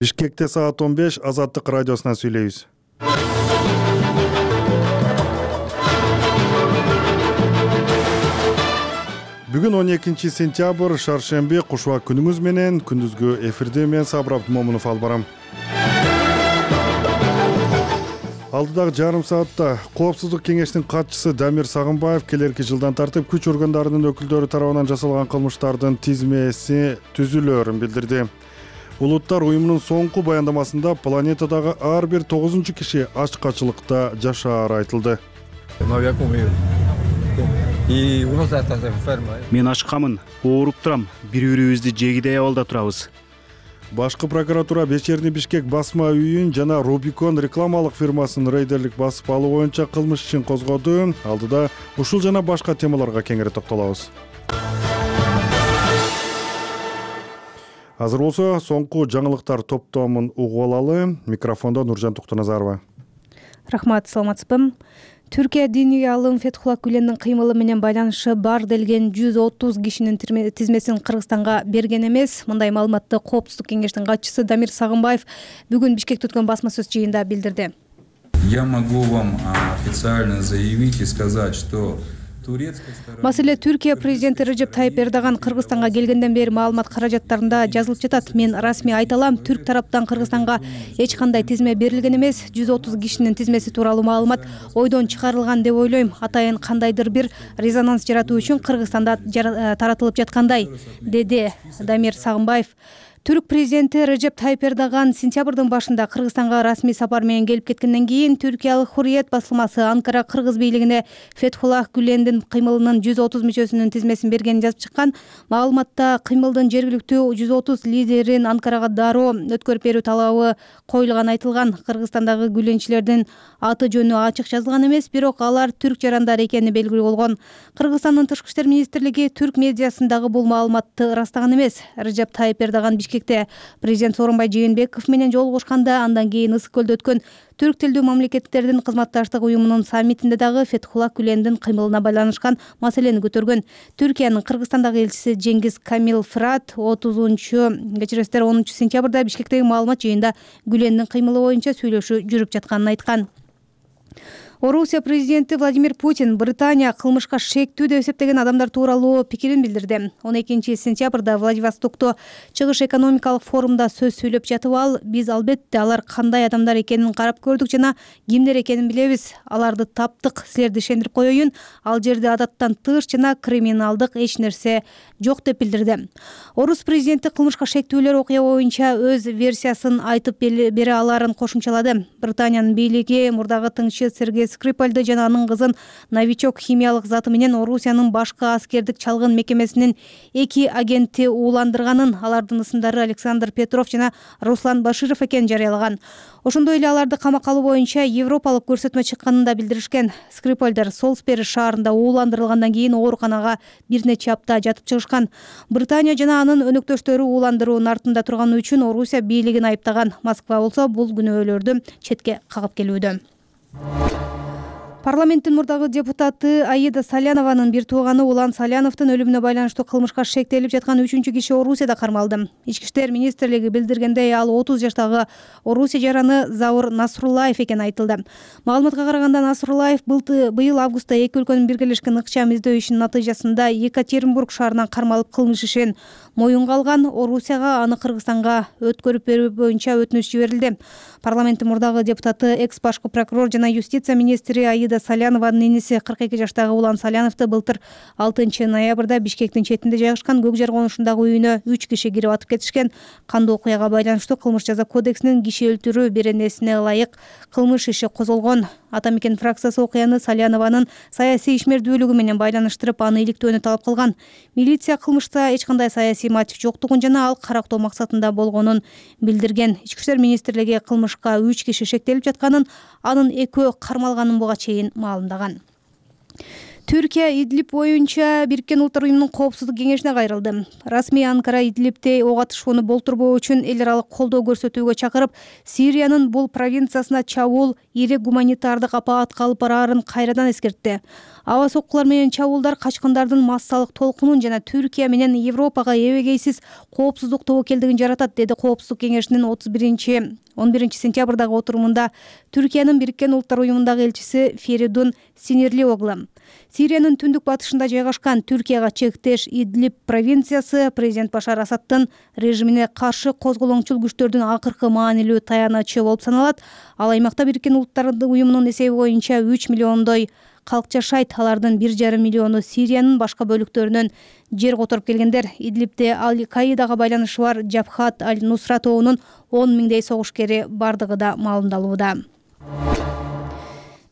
Бишкекте саат 15 Азаттык радиосунан сүйлөйбүз. Бүгүн 12 сентябрь шаршемби, кушуак күнүңүз менен. Күндүзгү эфирде мен Сабыр Абдымомунов алып барам. Алдыдагы жарым саатта Коопсуздук кеңештин катчысы Дамир Сагынбаев келерки жылдан тартып күч органдарынын өкүлдөрү тарабынан жасалган кылмыштардын тизмеси түзүлөөрүн билдирди. Улуттар уюмунун соңку баяндамасында планетадагы ар бир 9 киши ачкачылыкта жашаары айтылды. Мен ачкамын, ооруп турам, бири-бирибизди жегидей абалда турабыз. Башкы прокуратура Вечерний Бишкек басма үйүн жана Рубикон рекламалык фирмасын рейдерлик басып алуу боюнча кылмыш ишин козгоду. Алдыда ушул жана башка темаларга кеңири токтолобуз. Азыр болсо соңку жаңылыктар топтомун угуп алалы. Микрофондо Нуржан Туктуназарова. Рахмат, саламатсызбы. Түркия диний алым Фетхулла Гүлендин кыймылы менен байланышы бар делген 130 кишинин тизмесин Кыргызстанга берген эмес. Мындай маалыматты Коопсуздук кеңештин катчысы Дамир Сагынбаев бүгүн Бишкекте өткөн басма сөз жыйынында билдирди. Я могу вам официально заявить и сказать, что Маселе Түркия президенти Режеп Тайип Эрдоган Кыргызстанга келгенден бери маалымат каражаттарында жазылып жатат. Мен расмий айта алам, түрк тараптан Кыргызстанга эч кандай тизме берилген эмес. 130 кишинин тизмеси тууралуу маалымат ойдон чыгарылган деп ойлойм. Атайын кандайдыр бир резонанс жаратуу үчүн Кыргызстанда таратылып жаткандай, деди Дамир Сагынбаев. Түрк президенти Режеп Тайип Эрдоган сентябрдын башында Кыргызстанга расмий сапар менен келип кеткенден кийин Түркиялык Хурриет басылмасы Анкара кыргыз бийлигине Фетхулла Гүлендин кыймылынын 130 мүчөсүнүн тизмесин бергенин жазып чыккан. Маалыматта кыймылдын жергиликтүү 130 лидерин Анкарага дароо өткөрүп берүү талабы коюлганы айтылган. Кыргызстандагы гүленчилердин аты жөнү ачык жазылган эмес, бирок алар түрк жарандар экени белгилүү болгон. Кыргызстандын тышкы иштер министрлиги түрк медиасындагы бул маалыматты ырастаган эмес. Режеп Тайип Эрдоган Бишкекте президент Сооронбай Жээнбеков менен жолугушканда, андан кийин Ысык көлдө өткөн түрк тилдүү мамлекеттердин кызматташтык уюмунун саммитинде дагы Фетхулла Гүлендин кыймылына байланышкан маселени көтөргөн. Түркиянын Кыргызстандагы элчиси Жеңгиз Камил Фырат 10 сентябрда Бишкектеги маалымат жыйынында Гүлендин кыймылы боюнча сүйлөшүү жүрүп жатканын айткан. Орусия президенти Владимир Путин Британия кылмышка шектүү деп эсептеген адамдар тууралуу пикирин билдирди. 12 сентябрда Владивостокто чыгыш экономикалык форумда сөз сүйлөп жатып ал, биз албетте алар кандай адамдар экенин карап көрдүк жана кимдер экенин билебиз. Аларды таптык, силерди ишендирип коеюн. Ал жерде адаттан тыш жана криминалдык эч нерсе жок деп билдирди. Орус президенти кылмышка шектүүлөр окуя боюнча өз версиясын айтып бере аларын кошумчалады. Британиянын бийлиги мурдагы тыңчы Сергей Скрипальды жана анын кызын новичок химиялык заты менен Орусиянын башкы аскердик чалгын мекемесинин 2 агенти ууландырганын, алардын ысымдары Александр Петров жана Руслан Баширов экенин жарыялаган. Ошондой эле аларды камакка алуу боюнча европалык көрсөтмө чыкканын да билдиришкен. Скрипальдар Солсбери шаарында ууландырылгандан кийин ооруканага бир нече апта жатып чыгышкан. Британия жана анын өнөктөштөрү ууландыруунун артында турганы үчүн Орусия бийлигин айыптаган. Москва болсо бул күнөөлөрдү четке кагып келүүдө. Парламенттин мурдагы депутаты Аида Салянованын бир тууганы Улан Саляновдун өлүмүнө байланыштуу кылмышка шектелип жаткан 3-чү киши Орусияда кармалды. Ички иштер министрлиги билдиргендей, ал 30 жаштагы Орусия жараны Заур Насруллаев экени айтылды. Маалыматка караганда Насруллаев быйыл августта эки өлкөнүн биргелешкен ыкчам издөө ишинин натыйжасында Екатеринбург шаарынан кармалып кылмыш ишин моюнга алган. Орусияга аны Кыргызстанга өткөрүп берүү боюнча өтүнүч жиберилди. Парламенттин мурдагы депутаты экс-башкы прокурор жана юстиция министри Аида Салянованын иниси 42 жаштагы Улан Саляновду былтыр 6 ноябрда Бишкектин четинде жайгашкан көк жар конушундагы үйүнө 3 киши кирип атып кетишкен. Кандуу окуяга байланыштуу кылмыш жаза кодексинин киши өлтүрүү беренесине ылайык кылмыш иши козголгон. Атамекен фракциясы окуяны Салянованын саясий ишмердүүлүгү менен байланыштырып, аны иликтөөнү талап кылган. Милиция кылмышта эч кандай саясий мотив жоктугун жана ал карактоо максатында болгонун билдирген. Ички иштер министрлиги кылмышка 3 киши шектелип жатканын, анын экөө кармалганын буга чейин маалымдаган. Түркия Идлиб боюнча Бириккен Улуттар уюмунун коопсуздук кеңешине кайрылды. Расмий Анкара Идлибте ок атышууну болтурбоо үчүн эл аралык колдоо көрсөтүүгө чакырып, Сириянын бул провинциясына чабуул ири гуманитардык апаатка алып бараарын кайрадан эскертти. Аба соккулар менен чабуулдар качкындардын массалык толкунун жана Түркия менен Европага эбегейсиз коопсуздук тобокелдигин жаратат, деди Коопсуздук кеңешинин 11 сентябрдагы отурумунда Түркиянын Бириккен Улуттар уюмундагы элчиси Феридун Синирли-Оглу. Сириянын түндүк батышында жайгашкан Түркияга чектеш Идлиб провинциясы президент Башар Асаддын режимине каршы козголоңчул күчтөрдүн акыркы маанилүү таянычы болуп саналат. Ал аймакта Бириккен Улуттар уюмунун эсеби боюнча 3 миллиондой калк жашайт. Алардын 1,5 миллиону Сириянын башка бөлүктөрүнөн жер которуп келгендер. Идлибде Аль-Каидага байланышы бар Жабхат Аль-Нусра тобунун 10 миңдей согушкери бардыгы да маалымдалууда.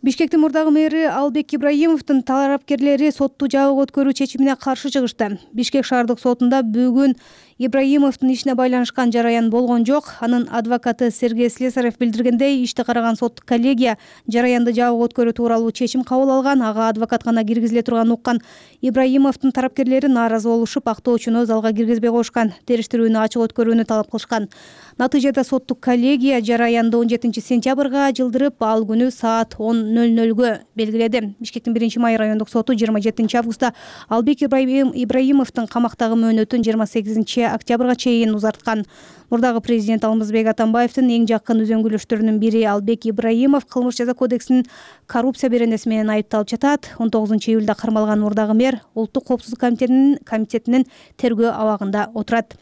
Бишкектин мурдагы мэри Албек Ибраимовдун талапкерлери сотту жабык өткөрүү чечимине каршы чыгышты. Бишкек шаардык сотунда бүгүн Ибраимовдун ишине байланышкан жараян болгон жок. Анын адвокаты Сергей Слесарев билдиргендей, ишти караган соттук коллегия жараянды жабык өткөрүү тууралуу чечим кабыл алган. Ага адвокат гана киргизиле турганын уккан Ибраимовдун тарапкерлери нааразы болушуп, актоочуну залга киргизбей коюшкан, териштирүүнү ачык өткөрүүнү талап кылышкан. Натыйжада соттук коллегия жараянды 17 сентябрга жылдырып, ал күнү саат 10:00 белгиледи. Бишкектин 1-май райондук соту 27 августта Албек Ибраимовдун камактагы мөөнөтүн 28 октябрга чейин узарткан. Мурдагы президент Алмазбек Атамбаевдин эң жакын үзөңгүлөштөрүнүн бири Албек Ибраимов кылмыш жаза кодексинин коррупция беренеси менен айыпталып жатат. 19 июлда кармалган мурдагы мэр Улуттук коопсуздук комитетинин тергөө абагында отурат.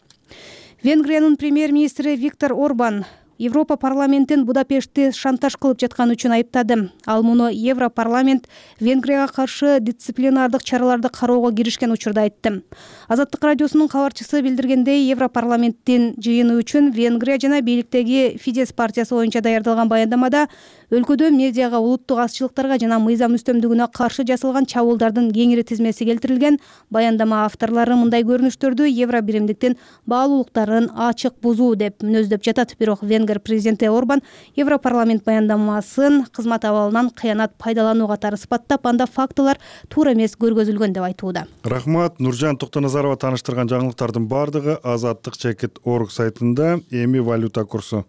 Венгриянын премьер-министри Виктор Орбан Европа парламентин Будапештти шантаж кылып жаткан үчүн айыптады. Ал муну Европарламент Венгрияга каршы дисциплинардык чараларды кароого киришкен учурда айтты. Азаттык радиосунун кабарчысы билдиргендей, Европарламенттин жыйыны үчүн Венгрия жана бийликтеги Фидес партиясы боюнча даярдалган баяндамада өлкөдө медиага, улуттук азчылыктарга жана мыйзам үстөмдүгүнө каршы жасалган чабуулдардын кеңири тизмеси келтирилген. Баяндама авторлору мындай көрүнүштөрдү евро биримдиктин баалуулуктарын ачык бузуу деп мүнөздөп жатат. Бирок Венгер президенти Орбан Европарламент баяндамасын кызмат абалынан кыянат пайдалануу катары сыпаттап, анда фактылар туура эмес көргөзүлгөн деп айтууда. Рахмат. Нуржан Токтоназарова таныштырган жаңылыктардын бардыгы azattik.org сайтында. Эми валюта курсу.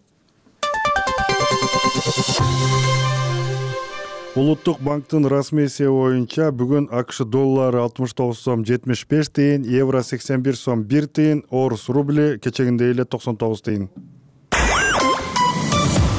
Улуттук банктын расмий эсеби боюнча бүгүн АКШ доллары 69 сом 75 тыйын, евро 81 сом 1 тыйын, орус рубли кечегиндей эле 99 тыйын.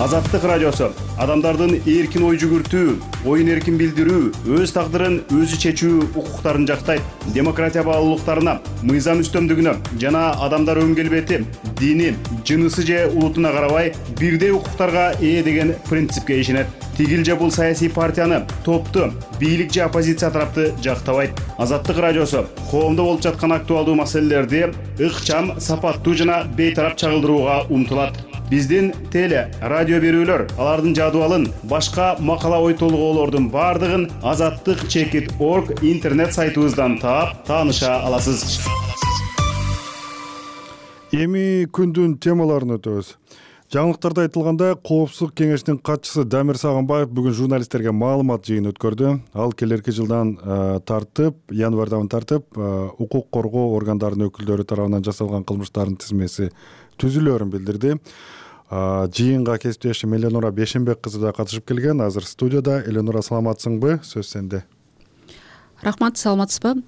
Азаттык радиосу адамдардын эркин ой жүгүртүү, оюн эркин билдирүү, өз тагдырын өзү чечүү укуктарын жактайт. Демократия баалуулуктарына, мыйзам үстөмдүгүнө жана адамдар өн келбети, дини, жынысы же улутуна карабай бирдей укуктарга ээ деген принципке ишенет. Тигил же бул саясий партияны, топту, бийлик же оппозиция тарапты жактабайт. Азаттык радиосу коомдо болуп жаткан актуалдуу маселелерди ыкчам, сапаттуу жана бейтарап чагылдырууга умтулат. Биздин теле, радио берүүлөр, алардын жадыбалын, башка макала ой толгоолордун бардыгын azattik.org интернет сайтыбыздан таап, тааныша аласыз. Эми күндүн темаларын өтөбүз. Жаңылыктарда айтылгандай, Коопсуздук кеңешинин катчысы Дамир Сагынбаев бүгүн журналисттерге маалымат жыйыны өткөрдү. Ал келерки жылдан тартып, январдан тартып, укук коргоо органдарынын өкүлдөрү тарабынан жасалган кылмыштардын тизмеси түзүлөөрүн билдирди. Жыйынга кесиптешим Эленора Бешенбек кызы да катышып келген. Азыр студияда. Эленора, саламатсыңбы? Сөз сенде. Рахмат, саламатсызбы?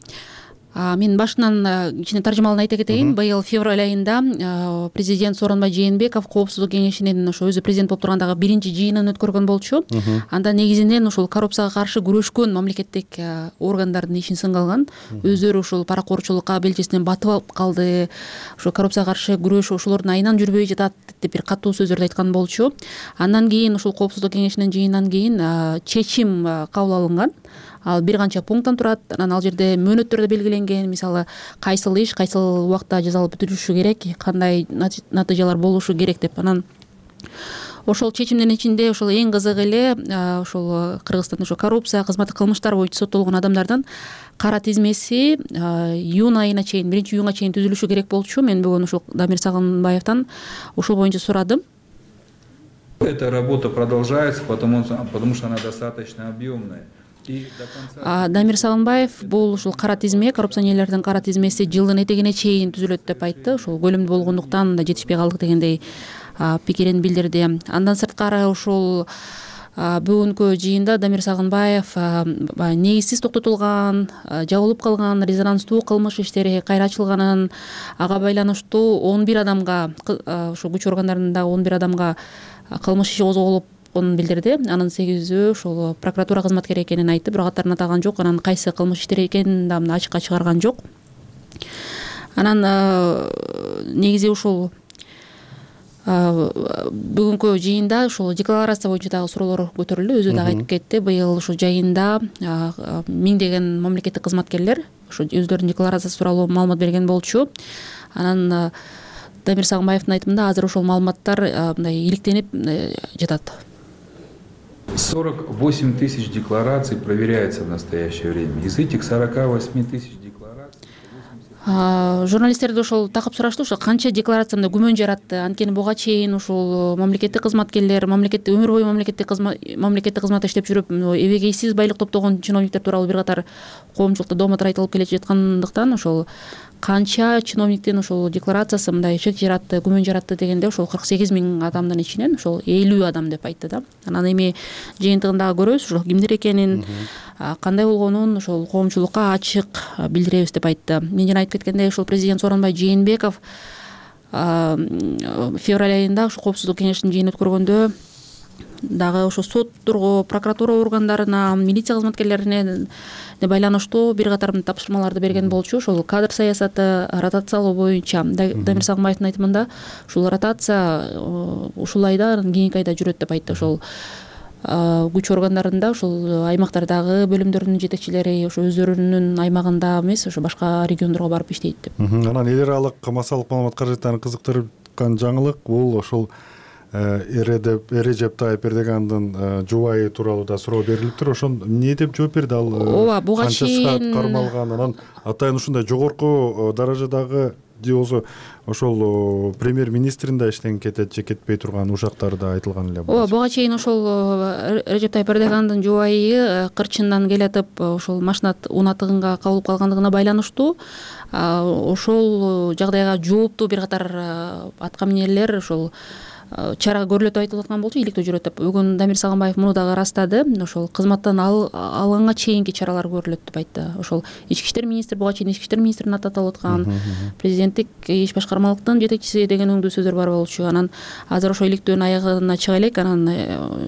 Мен башынан кичине таржымалын айта кетейин. Быйыл февраль айында президент Сооронбай Жээнбеков Коопсуздук кеңешинин ошо өзү президент болуп тургандагы биринчи жыйынын өткөргөн болчу. Анда негизинен ушул коррупцияга каршы күрөшкөн мамлекеттик органдардын ишин сынга алган. Өздөрү ушул паракорчулукка белчесинен батып алып калды. Ошо коррупцияга каршы күрөш ошолордун айынан жүрбөй жатат деп бир катуу сөздөрдү айткан болчу. Андан кийин ушул Коопсуздук кеңешинин жыйынынан кийин чечим кабыл алынган. Ал бир канча пункттан турат. Анан ал жерде мөөнөттөр да белгиленген. Мисалы, кайсыл иш кайсыл убакта жазалып бүтүрүлүшү керек, кандай натыйжалар болушу керек деп. Анан ошол чечимдин ичинде ошол эң кызыгы эле ошол Кыргызстанда ошо коррупция, кызматтык кылмыштар боюнча соттолгон адамдардын кара тизмеси июнь айына чейин, 1-июнга чейин түзүлүшү керек болчу. Мен бүгүн ошол Дамир Сагынбаевден ошол боюнча сурадым. Эта работа продолжается, потому что она достаточно объемная. Дамир Сагынбаев бул ушул кара тизме, коррупционерлердин кара тизмеси жылдын этегине чейин түзүлөт деп айтты. Ошол көлөмдүү болгондуктан да жетишпей калдык дегендей пикирин билдирди. Андан сырткары ушул Бүгүнкү жыйында Дамир Сагынбаев негизсиз токтотулган, жабылып калган резонанстуу кылмыш иштери кайра ачылганын, ага байланыштуу 11 адамга, ошо күч органдарындагы 11 адамга кылмыш иши козголупун билдирди. Анын 8-өө ошол прокуратура кызматкери экенин айтты, бирок аттарын атаган жок. Анан кайсы кылмыш иштери экенин да ачыкка чыгарган жок. Анан негизи ушул бүгүнкү жыйында ушул декларация боюнча дагы суроолор көтөрүлдү. Өзү дагы айтып кетти, быйыл ушул жайында миңдеген мамлекеттик кызматкерлер ушу өздөрүнүн декларациясы тууралуу маалымат берген болчу. Анан Дамир Сагынбаевдин айтымында азыр ошол маалыматтар мындай иликтенип жатат. 48 тысяч деклараций проверяется в настоящее время. Из этих 48 тысяч деклараций журналисттерди ошол такып сурашты, ошо канча декларация мындай күмөн жаратты. Анткени буга чейин ушул мамлекеттик кызматкерлер, өмүр бою мамлекеттик кызматта иштеп жүрүп, эбегейсиз байлык топтогон чиновниктер тууралуу бир катар коомчулукта домотор айтылып келе жаткандыктан ошол канча чиновниктин ошол декларациясы мындай шек жаратты, күмөн жаратты дегенде ошол 48 000 адамдын ичинен ошол 50 адам деп айтты да. Анан эми жыйынтыгында көрөбүз ошол кимдер экенин, кандай болгонун ошол коомчулукка ачык билдиребиз деп айтты. Мен жана айтып кеткендей, ошол президент Сооронбай Жээнбеков февраль айында ошо коопсуздук кеңешинин жыйынын өткөргөндө дагы ошо сотторго, прокуратура органдарына, милиция кызматкерлерине байланыштуу бир катар тапшырмаларды берген болчу. Ошол кадр саясаты, ротациялоо боюнча. Дамир Сагынбаевдин айтымында ушул ротация ушул айда, кийинки айда жүрөт деп айтты. Ошол күч органдарында, ошол аймактардагы бөлүмдөрдүн жетекчилери ошо өздөрүнүн аймагында эмес, ошо башка региондорго барып иштейт деп. Анан эл аралык массалык маалымат каражаттарын кызыктырган жаңылык бул ошол Режеп Тайып Эрдогандын жубайы тууралуу да суроо берилиптир. Ошон эмне деп жооп берди ал? Ооба, буга чейин кармалган, анан атайын ушундай жогорку даражадагы же болбосо ошол премьер-министрин да иштен кетет же кетпей турган ушактары да айтылган эле. Ооба, буга чейин ошол Режеп Тайып Эрдогандын жубайы кырчындан келатып ошол машина унатыгынга кабылып калгандыгына байланыштуу ошол жагдайга жооптуу бир катар аткаминерлер ошол чара көрүлөт деп айтылып аткан болчу, иликтөө жүрөт деп. Бүгүн Дамир Сагынбаев муну дагы ырастады. Ошол кызматтан алганга чейинки чаралар көрүлөт деп айтты. Ошол ички иштер министри, буга чейин ички иштер министрин аталып аткан, президенттик иш башкармалыктын жетекчиси деген өңдүү сөздөр бар болчу. Анан азыр ошо иликтөөнүн аягына чыга элек, анан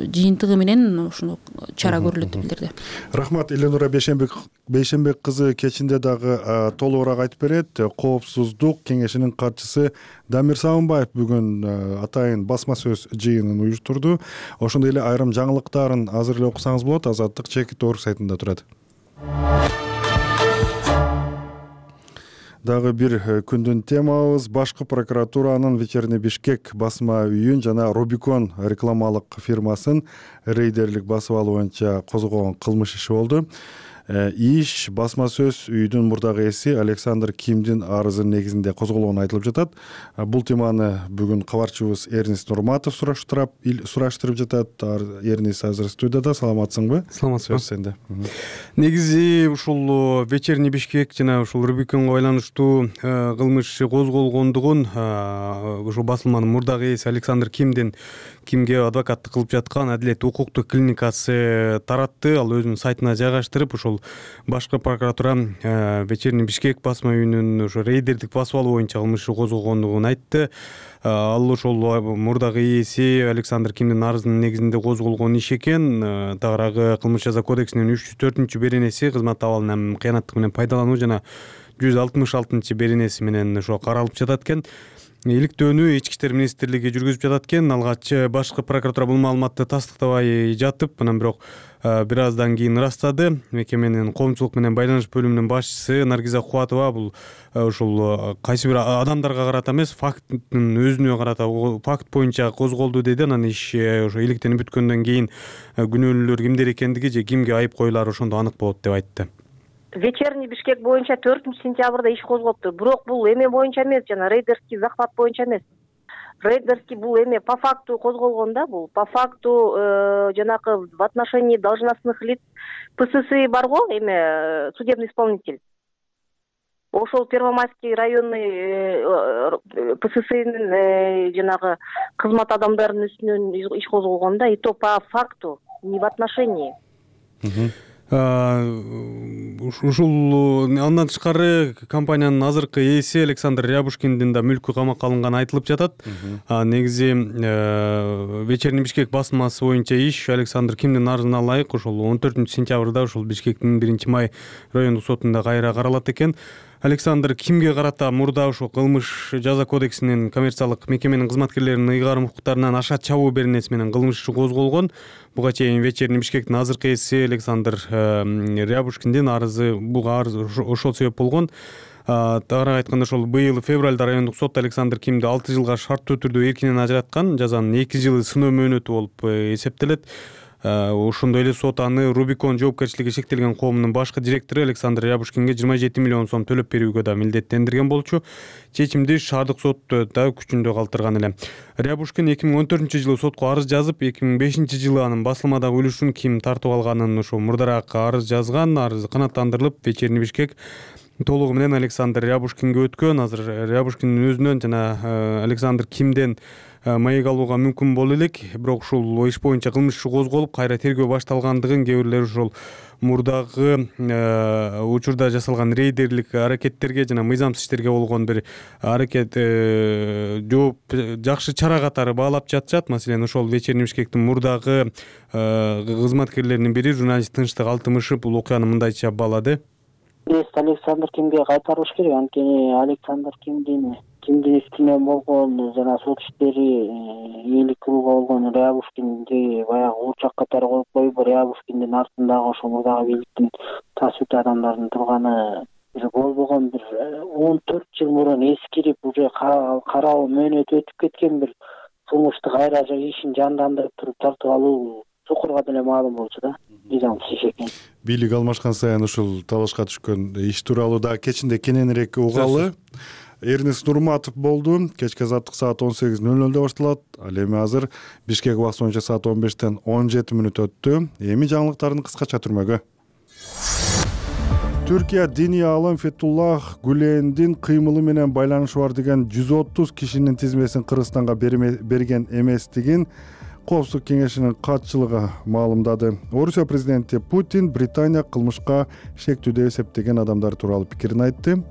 жыйынтыгы менен ушуну чара көрүлөт деп билдирди. Рахмат. Эленура Бейшенбек кызы кечинде дагы толугураак айтып берет. Коопсуздук кеңешинин катчысы Дамир Сагынбаев бүгүн атайын басма сөз жыйынын уюштурду. Ошондой эле айрым жаңылыктарын азыр эле окусаңыз болот. Азаттык Чекит.org сайтында турат. Дагы бир күндүн темабыз башкы прокуратуранын Вечерний Бишкек басма үйүн жана Рубикон рекламалык фирмасын рейдерлик басып алуу боюнча козгогон кылмыш иши болду. Иш басма сөз үйдүн мурдагы ээси Александр Кимдин арызынын негизинде козголгону айтылып жатат. Бул теманы бүгүн кабарчыбыз Эрнис Нурматов сураштырып жатат. Эрнис азыр студияда. Саламатсыңбы? Саламатсызбы. Сөз сенде. Негизи ушул Вечерний Бишкек жана ушул Рубиконго байланыштуу кылмыш иши козголгондугун ушул басылманын мурдагы ээси Александр Кимге адвокаттык кылып жаткан Адилет укуктук клиникасы таратты. Ал өзүнүн сайтына жайгаштырып, ушул башкы прокуратура Вечерний Бишкек басма үйүнүн ошо рейдердик басып алуу боюнча кылмыш иши козгогондугун айтты. Ал ошол мурдагы ээси Александр Кимдин арызынын негизинде козголгон иш экен. Тагыраагы кылмыш жаза кодексинин 304 беренеси кызмат абалын һәм кыянаттык менен пайдалануу жана 166 беренеси менен ошо каралып жатат экен. Иликтөөнү Ички иштер министрлиги жүргүзүп жатат экен. Алгач башкы прокуратура бул маалыматты тастыктабай жатып, анан бирок бир аздан кийин ырастады. Мекеменин коомчулук менен байланыш бөлүмүнүн башчысы Наргиза Кубатова бул ушул кайсы бир адамдарга карата эмес, факттын өзүнө карата факт боюнча козголду деди. Анан иш ошо иликтенип бүткөндөн кийин күнөөлүүлөр кимдер экендиги же кимге айып коюлары ошондо анык болот деп айтты. Вечерний Бишкек боюнча 4-сентябрда иш козгоптур. Бирок бул эме боюнча эмес, жана рейдерский захват боюнча эмес. Рейдерский бул эме по факту козголгон да, бул по факту жанакы в отношении должностных лиц ПСС барго, эме судебный исполнитель. Ошол Первомайский районный ПССнин жанагы кызмат адамдарынын үстүнөн иш козголгон да, и то по факту не в отношении. Ушул андан тышкары компаниянын азыркы ээси Александр Рябушкиндин да мүлкү камакка алынганы айтылып жатат. Негизи Вечерний Бишкек басмасы боюнча иш Александр Кимдин арызына ылайык ошол 14-сентябрда ушул Бишкектин 1-май райондук сотунда кайра каралат экен. Александр Кимге карата мурда ошол кылмыш жаза кодексинин коммерциялык мекеменин кызматкерлеринин ыйгарым укуктарынан ашат чабуу беренеси менен кылмыш иши козголгон. Буга чейин Вечерний Бишкектин азыркы ээси Александр Рябушкиндин арызы буга арыз ошол себеп болгон. Тагыраак айтканда ошол быйыл февралда райондук сот Александр Кимди 6 жылга шарттуу түрдө эркинен ажыраткан. Жазанын 2 жылы сыноо мөөнөтү болуп эсептелет. Ошондой эле сот аны Рубикон жоопкерчилиги шектелген коомунун башкы директору Александр Рябушкинге 27 миллион сом төлөп берүүгө да милдеттендирген болчу. Чечимди шаардык сот да күчүндө калтырган эле. Рябушкин 2014-жылы сотко арыз жазып, 2005-жылы анын басылмадагы үлүшүн Ким тартып алганын ошо мурдараак арыз жазган. Арыз канааттандырылып, Вечерний Бишкек толугу менен Александр Рябушкинге өткөн. Азыр Рябушкиндин өзүнөн жана Александр Кимден маек алууга мүмкүн боло элек. Бирок ушул иш боюнча кылмыш иши козголуп, кайра тергөө башталгандыгын кээ бирлер ошол мурдагы учурда жасалган рейдерлик аракеттерге жана мыйзамсыз иштерге болгон бир аракет жооп жакшы чара катары баалап жатышат. Маселен, ошол Вечерний Бишкектин мурдагы кызматкерлеринин бири журналист Тынчтык Алтымышев бул окуяны мындайча баалады. Александр Кимге кайтарылыш керек. Анткени Александр Кимдин үстүнө болгон жана сот иштери ээлик кылууга болгон Рябушкинди баягы уучак катары коюп коюп, Рябушкиндин артындагы ошол мурдагы бийликтин тасыптуу адамдардын турганы уже болбогон бир 14 жыл мурун эскирип, уже кароо мөөнөтү өтүп кеткен бир кылмышты кайра ишин жандандырып туруп тартып алуу чукурга деле маалым болчу да. Мыйзамсыз иш экен. Бийлик алмашкан сайын ушул табышка түшкөн иш тууралуу да кечинде кененирээк угалы. Эрнест Нурматов болду. Кечки азаттык саат 18:00 башталат. Ал эми азыр Бишкек убакыты боюнча саат 15-тен 17 мүнөт өттү. Эми жаңылыктардын кыскача түрмөгү. Түркия диний аалым Фетуллах Гүлендин кыймылы менен байланышы бар деген 130 кишинин тизмесин Кыргызстанга берген эместигин Коопсуздук кеңешинин катчылыгы маалымдады. Орусия президенти Путин Британия кылмышка шектүү деп эсептеген адамдар тууралуу пикирин айтты.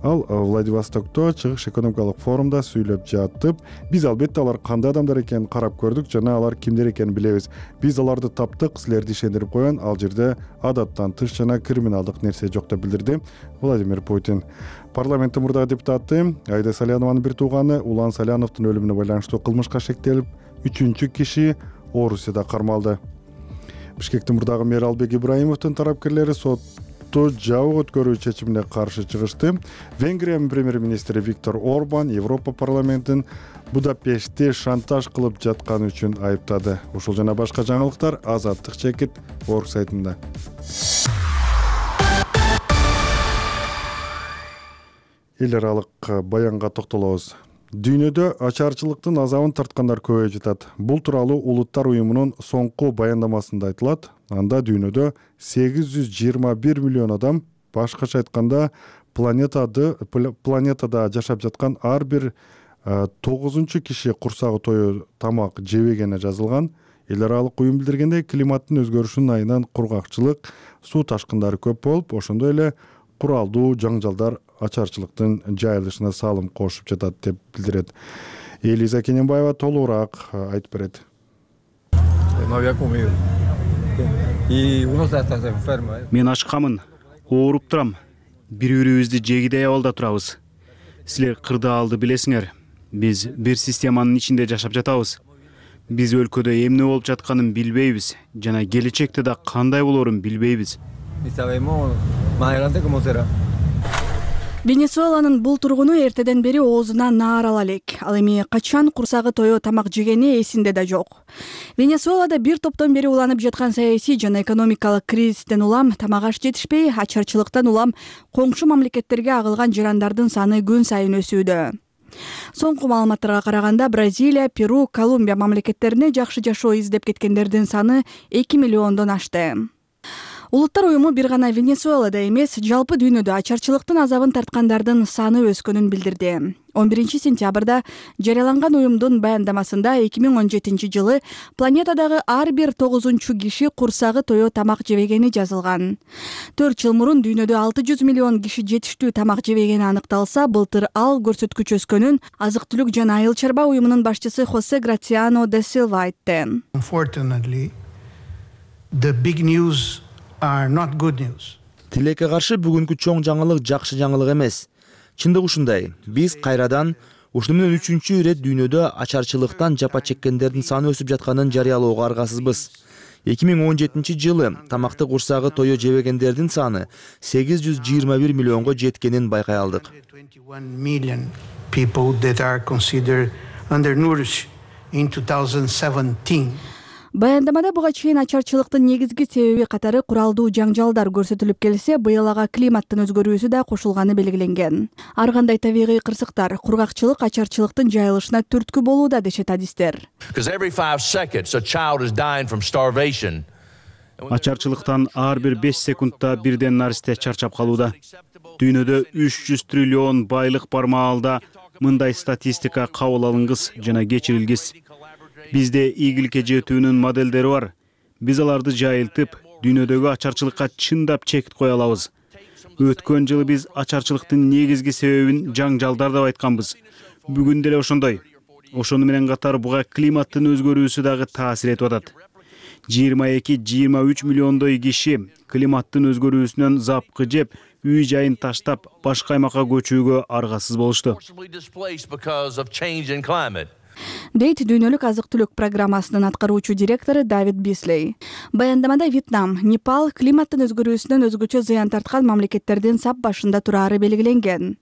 Ал Владивостокто чыгыш экономикалык форумда сүйлөп жатып, биз албетте алар кандай адамдар экенин карап көрдүк жана алар кимдер экенин билебиз. Биз аларды таптык, силерди ишендирип коен, ал жерде адаттан тыш жана криминалдык нерсе жок деп билдирди Владимир Путин. Парламенттин мурдагы депутаты Айда Салянованын бир тууганы Улан Саляновдун өлүмүнө байланыштуу кылмышка шектелип, 3-чү киши Орусияда кармалды. Бишкектин мурдагы мэр Албек Ибраимовдун тарапкерлери сотту жабык өткөрүү чечимине каршы чыгышты. Венгриянын премьер-министри Виктор Орбан Европа парламентин Будапештти шантаж кылып жатканы үчүн айыптады. Ушул жана башка жаңылыктар Азаттык чекит орг сайтында. Эл аралык баянга токтолобуз. Дүйнөдө ачарчылыктын азабын тарткандар көбөйүп жатат. Бул тууралуу Улуттар уюмунун соңку баяндамасында айтылат. Анда дүйнөдө 821 миллион адам, башкача айтканда, планетада жашап жаткан ар бир 9-чу киши курсагы тоюу тамак жебегени жазылган. Эл аралык уюм билдиргендей, климаттын өзгөрүшүнүн айынан кургакчылык, суу ташкындары көп болуп, ошондой эле куралдуу жаңжалдар ачарчылыктын жайылышына салым кошуп жатат деп билдирет. Элиза Кененбаева толугураак айтып берет. Мен ачкамын, ооруп турам. Бири-бирибизди жегидей абалда турабыз. Силер кырдаалды билесиңер. Биз бир системанын ичинде жашап жатабыз. Биз өлкөдө эмне болуп жатканын билбейбиз жана келечекте да кандай болорун билбейбиз. Венесуэланын бул тургуну эртеден бери оозуна наар ала элек. Ал эми качан курсагы тоюу тамак жегени эсинде да жок. Венесуэлада бир топтон бери уланып жаткан саясий жана экономикалык кризистен улам тамак аш жетишпей, ачарчылыктан улам коңшу мамлекеттерге агылган жарандардын саны күн сайын өсүүдө. Соңку маалыматтарга караганда Бразилия, Перу, Колумбия мамлекеттерине жакшы жашоо издеп кеткендердин саны 2 миллиондон ашты. Улуттар уюму бир гана Венесуэлада эмес, жалпы дүйнөдө ачарчылыктын азабын тарткандардын саны өскөнүн билдирди. 11 сентябрда жарыяланган уюмдун баяндамасында 2017 жылы планетадагы ар бир 9-чу киши курсагы тоё тамак жебегени жазылган. 4 жыл мурун дүйнөдө 600 миллион киши жетиштүү тамак жебегени аныкталса, былтыр ал көрсөткүч өскөнүн Азык-түлүк жана айыл чарба уюмунун башчысы Хосе Грациано де Силва айтты. Unfortunately, the big news are not good news. Тилекке каршы бүгүнкү чоң жаңылык жакшы жаңылык эмес. Чындык ушундай. Биз кайрадан ушуну менен 3-чү ирет дүйнөдө ачарчылыктан жапа чеккендердин саны өсүп жатканын жарыялоого аргасызбыз. 2017 жылы тамакты курсагы тоё жебегендердин саны 821 миллионго жеткенин байкай алдык. 21 million people that are considered undernourished in 2017. Баяндамада буга чейин ачарчылыктын негизги себеби катары куралдуу жаңжалдар көрсөтүлүп келсе, быйыл ага климаттын өзгөрүүсү да кошулганы белгиленген. Ар кандай табигый кырсыктар, кургакчылык ачарчылыктын жайылышына түрткү болууда дешет адистер. Ачарчылыктан ар бир 5 секундта бирден наристе чарчап калууда. Дүйнөдө 300 триллион байлык бар маалда мындай статистика кабыл алынгыс жана кечирилгис. Бизде ийгиликке жетүүнүн моделдери бар. Биз аларды жайылтып, дүйнөдөгү ачарчылыкка чындап чек кое алабыз. Өткөн жылы биз ачарчылыктын негизги себебин жаңжалдар деп айтканбыз. Бүгүн деле ошондой. Ошону менен катар буга климаттын өзгөрүүсү дагы таасир этип атат. 22-23 миллиондой киши климаттын өзгөрүүсүнөн запкы жеп, үй жайын таштап, башка аймакка көчүүгө аргасыз болушту. Дейт дүйнөлүк азык-түлүк программасынын аткаруучу директору Давид Бислей. Баяндамада Вьетнам, Непал климаттын өзгөрүүсүнөн өзгөчө зыян тарткан мамлекеттердин сап башында турары белгиленген.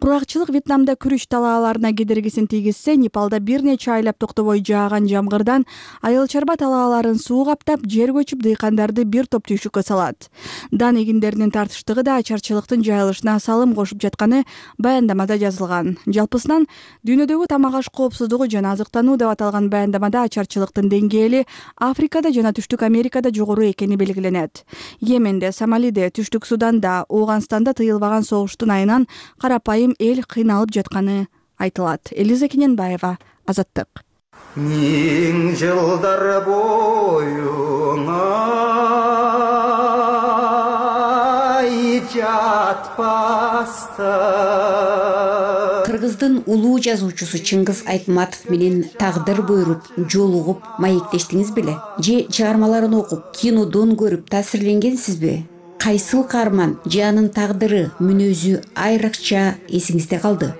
Кургакчылык Вьетнамда күрүч талааларына кедергисин тийгизсе, Непалда бир нече айлап токтобой жааган жамгырдан айыл чарба талааларын суу каптап, жер көчүп дыйкандарды бир топ түйшүккө салат. Дан эгиндеринин тартыштыгы да ачарчылыктын жайылышына салым кошуп жатканы баяндамада жазылган. Жалпысынан дүйнөдөгү тамак аш коопсуздугу жана азыктануу деп аталган баяндамада ачарчылыктын деңгээли Африкада жана Түштүк Америкада жогору экени белгиленет. Йеменде, Сомалиде, Түштүк Суданда, Ооганстанда тыйылбаган согуштун айынан карапайым эл кыйналып жатканы айтылат. Элиза Кененбаева, Азаттык. Миң жылдар боюңа жатпаста. Кыргыздын улуу жазуучусу Чыңгыз Айтматов менен тагдыр буйруп, жолугуп, маектештиңиз беле? Же чыгармаларын окуп, кинодон көрүп таасирленгенсизби? Кайсыл каарман же анын тагдыры, мүнөзү айрыкча эсиңизде калды?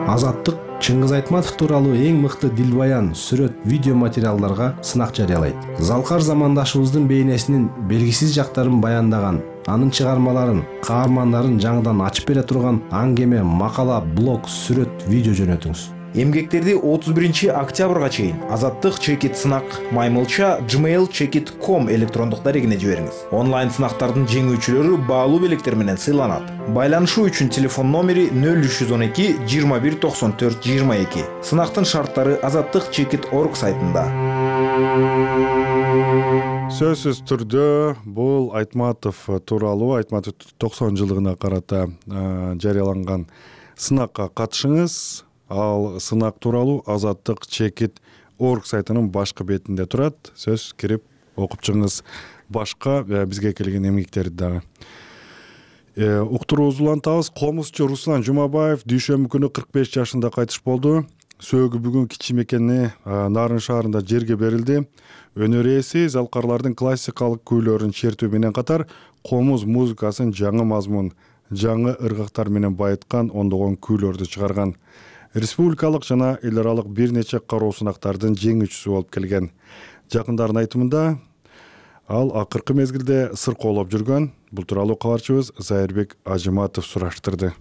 Азаттык Чыңгыз Айтматов тууралуу эң мыкты дилбаян, сүрөт, видео материалдарга сынак жарыялайт. Залкар замандашыбыздын бейнесинин белгисиз жактарын баяндаган, анын чыгармаларын, каармандарын жаңыдан ачып бере турган аңгеме, макала, блог, сүрөт, видео жөнөтүңүз. Эмгектерди 31 октябрга чейин Азаттык чекит сынак маймылча gmail.com электрондук дарегине жибериңиз. Онлайн сынактардын жеңүүчүлөрү баалуу белектер менен сыйланат. Байланышуу үчүн телефон номери 0312 21 94 22. Сынактын шарттары azattikchekit.org сайтында. Сөзсүз түрдө бул Айтматов тууралуу, Айтматов 90 жылдыгына карата жарыяланган сынакка катышыңыз. Ал сынак тууралуу azattikchekit.org сайтынын башкы бетинде турат. Сөз кирип окуп чыгыңыз. Башка бизге келген эмгектерди дагы. Уктуруубузду улантабыз. Комузчу Руслан Жумабаев дүйшөмбү күнү 45 жашында кайтыш болду. Сөөгү бүгүн кичи мекени Нарын шаарында жерге берилди. Өнөр ээси залкарлардын классикалык күйлөрүн чертүү менен катар комуз музыкасын жаңы мазмун, жаңы ыргактар менен байыткан ондогон күйлөрдү чыгарган. Республикалык жана эл аралык бир нече кароо сынактардын жеңүүчүсү болуп келген. Жакындардын айтымында ал акыркы мезгилде сыркоолоп жүргөн. Бул тууралуу кабарчыбыз Зайырбек Ажыматов сураштырды.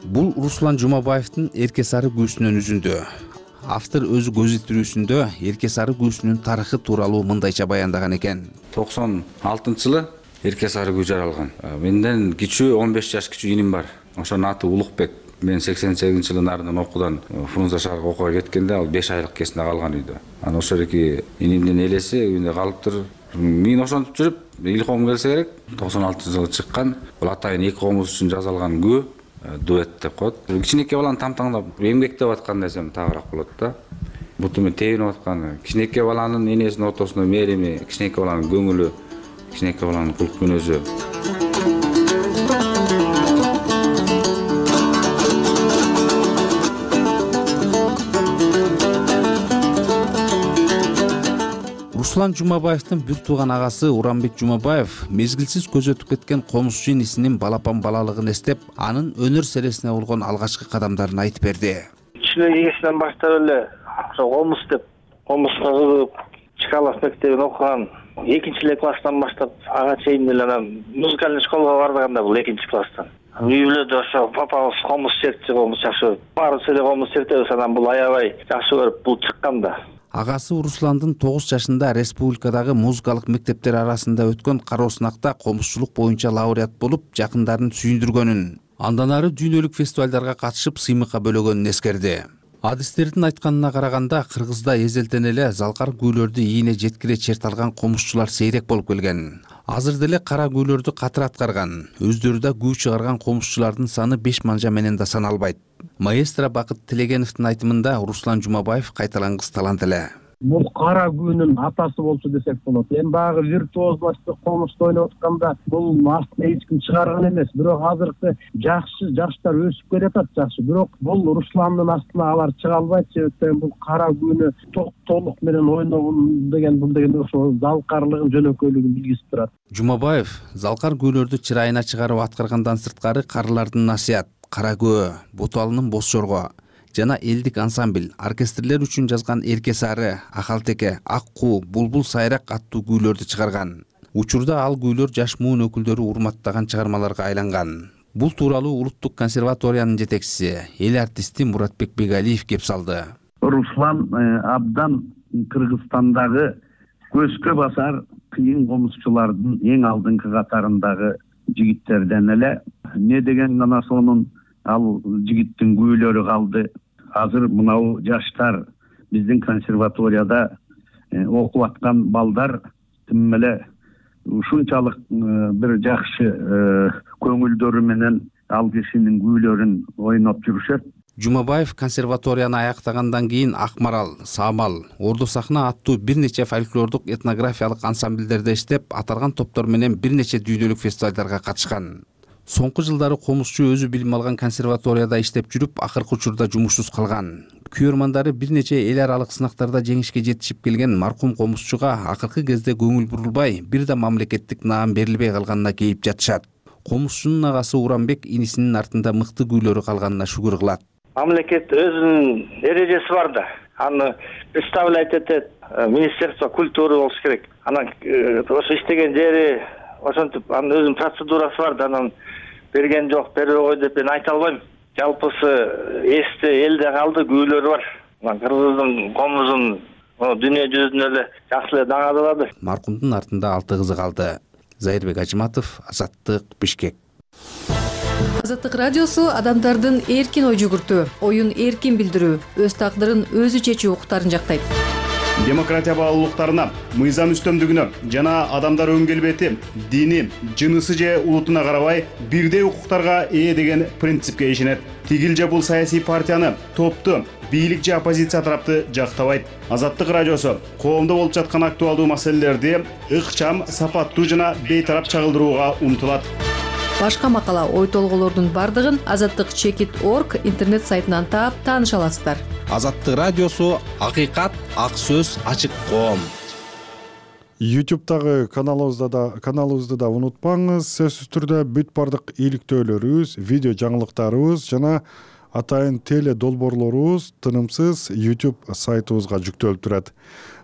Бул Руслан Жумабаевдин Эрке сары күүсүнүн үзүндү. Автор өзү көз илтирүүсүндө Эрке сары күүсүнүн тарыхы тууралуу мындайча баяндаган экен. 96-жылы Эрке сары күү жаралган. Менден кичүү 15 жаш кичүү иним бар. Ошонун аты Улукбек. Мен 88-жылы нарынан окуудан Фрунзе шаарга окууга кеткенде ал 5 айлык кесинде калган үйдө. Анан ошол эки инимдин элеси үйүндө калыптыр. Мен ошентип жүрүп, илхом келсе керек, 96-жылы чыккан. Бул атайын эки комуз үчүн жазылган күү, дуэт деп коет. Кичинекей баланы тамтаңдап эмгектеп аткан десем тагыраак болот да. Буту мен тебинип аткан кичинекей баланын энесинин ортосунда мээрими, кичинекей баланын көңүлү, кичинекей баланын кулк мүнөзү. Руслан Жумабаевдин бир тууган агасы Урамбек Жумабаев мезгилсиз көз өтүп кеткен комузчу инисинин балапан балалыгын эстеп, анын өнөр селесине болгон алгачкы кадамдарын айтып берди. Кичине кеңештен баштап эле ошо комуз деп, комузга кызыгып, Чкалов мектебин окуган. 2 класстан баштап ага чейин эле анан музыкальный школага бардыганда бул 2 класстан. Үй бүлөдө ошо папабыз комуз чертчи, комуз жакшы. Баарыбыз эле комуз чертебиз, анан бул аябай жакшы көрүп бул чыккан да. Агасы Русландын 9 жашында республикадагы музыкалык мектептер арасында өткөн кароо сынакта комузчулук боюнча лауреат болуп, жакындарын сүйүндүргөнүн, андан ары дүйнөлүк фестивалдарга катышып сыймыкка бөлөгөнүн эскерди. Адистердин айтканына караганда, Кыргызда эзелтен эле залкар күүлөрдү ийине жеткире черт алган комузчулар сейрек болуп келген. Азыр деле кара күүлөрдү катыр аткарган, өздөрү да күү чыгарган комузчулардын саны 5 манжа менен да саналбайт. Маэстро Бакыт Тилегеновдун айтымында Руслан Жумабаев кайталангыс талант эле. Бул кара күүнүн атасы болчу десек болот. Эми баягы виртуозлошту комузду ойноп атканда бул астына эч ким чыгарган эмес. Бирок азыркы жакшы жаштар өсүп келатат жакшы. Бирок бул Русландын астына алар чыга албайт. Себептен бул кара күүнү толук менен ойногон деген ошо залкарлыгын, жөнөкөйлүгүн билгизип турат. Жумабаев залкар күүлөрдү чырайына чыгарып аткаргандан сырткары карылардын насият, кара көө, Боталынын Боз Чорго жана элдик ансамбль, оркестрлер үчүн жазган Эрке Сары, Акалтеке, Ак Куу, Булбул Сайрак аттуу күүлөрдү чыгарган. Учурда ал күүлөр жаш муун өкүлдөрү урматтаган чыгармаларга айланган. Бул тууралуу Улуттук консерваториянын жетекчиси, эл артисти Муратбек Бегалиев кеп салды. Руслан абдан Кыргызстандагы көзгө басар кыйын комузчулардын эң алдыңкы катарындагы жигиттерден эле. Не деген ана сонун ал жигиттин күүлөрү калды. Азыр мынау жаштар биздин консерваторияда окуп аткан балдар тим эле ушунчалык бир жакшы көңүлдөрү менен ал кишинин күүлөрүн ойноп жүрүшөт. Жумабаев консерваторияны аяктагандан кийин Акмарал, Самал, Ордо сахна аттуу бир нече фольклордук этнографиялык ансамбльдерде иштеп, аталган топтор менен бир нече дүйнөлүк фестивалдарга катышкан. Соңку жылдары комузчу өзү билим алган консерваторияда иштеп жүрүп, акыркы учурда жумушсуз калган. Күйөрмандары бир нече эл аралык сынактарда жеңишке жетишип келген маркум комузчуга акыркы кезде көңүл бурулбай, бир да мамлекеттик наам берилбей калганына кейип жатышат. Комузчунун агасы Урамбек инисинин артында мыкты күүлөрү калганына шүгүр кылат. Мамлекет өзүнүн эрежеси бар да. Аны представлять этет Министерство культуры болуш керек. Анан ошо иштеген жери ошентип анын өзүнүн процедурасы бар да. Анан берген жок, бербей кой деп мен айта албайм. Жалпысы эсте элде калды, күүлөрү бар. Анан Кыргыздын комузун дүйнө жүзүнө эле жакшы эле даңазалады. Маркумдун артында 6 кызы калды. Зайырбек Ажыматов, Азаттык, Бишкек. Азаттык радиосу адамдардын эркин ой жүгүртүү, оюн эркин билдирүү, өз тагдырын өзү чечүү укуктарын жактайт. Демократия баалуулуктарына, мыйзам үстөмдүгүнө жана адамдар өн келбети, дини, жынысы же улутуна карабай бирдей укуктарга ээ деген принципке ишенет. Тигил же бул саясий партияны, топту, бийлик же оппозиция тарапты жактабайт. Азаттык радиосу коомдо болуп жаткан актуалдуу маселелерди ыкчам, сапаттуу жана бейтарап чагылдырууга умтулат. Башка макала, ой толголордун бардыгын azattik.org интернет сайтынан таап тааныша аласыздар. Азаттык радиосу акыйкат, ак сөз, ачык коом. YouTube'дагы каналыбызды да унутпаңыз. Сөзсүз түрдө бүт бардык иликтөөлөрүбүз, видео жаңылыктарыбыз жана атайын теле долбоорлорубуз тынымсыз YouTube сайтыбызга жүктөлүп турат.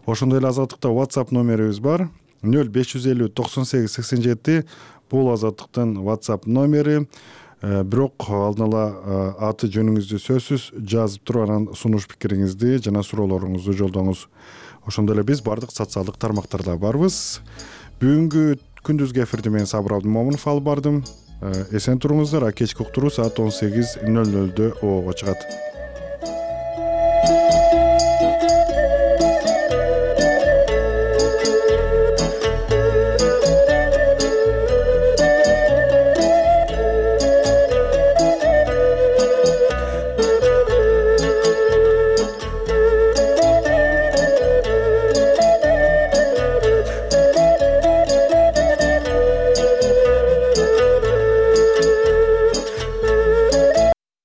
Ошондой эле Азаттыкта WhatsApp номерибиз бар. 0550 98 87 бул Азаттыктын WhatsApp номери. Бирок алдын ала аты жөнүңүздү сөзсүз жазып туруп анан сунуш пикириңизди жана суроолоруңузду жолдоңуз. Ошондой эле биз бардык социалдык тармактарда барбыз. Бүгүнкү күндүзгү эфирди мен Сабыр Абдымомунов алып бардым. Эсен туруңуздар. Кечки уктуруу саат 18:00 обого чыгат.